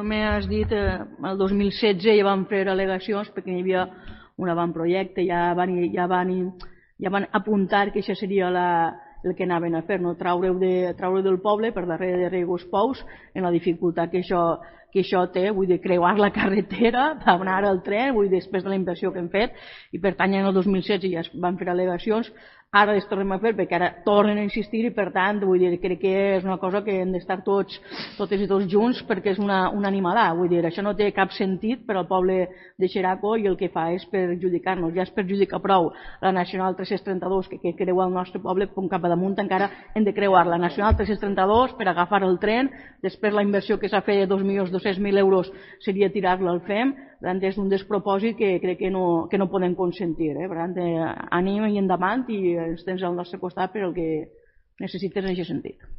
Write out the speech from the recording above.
Com has dit, el 2016 ja vam fer al·legacions perquè hi havia un avantprojecte, ja van apuntar que això seria el que anaven a fer, no? Traure del poble per darrere de Regos Pous, en la dificultat que això té, vull dir, creuar la carretera per anar al tren, vull dir, després de la inversió que hem fet, i per tant en el 2016 ja es van fer al·legacions, ara les tornem a fer perquè ara tornen a insistir i per tant vull dir, crec que és una cosa que hem d'estar totes i tots junts perquè és una animalà, vull dir, això no té cap sentit per al poble de Xeraco i el que fa és perjudicar-nos, ja es perjudica prou la Nacional 332 que creua el nostre poble, com cap a damunt encara hem de creuar la Nacional 332 per agafar el tren, després la inversió que s'ha fet de 2.200.000 euros seria tirar-la al FEM, per tant és un despropòsit que crec que no podem consentir, per tant ànim i endavant i ens tens al nostre costat per el que necessites en aquest sentit.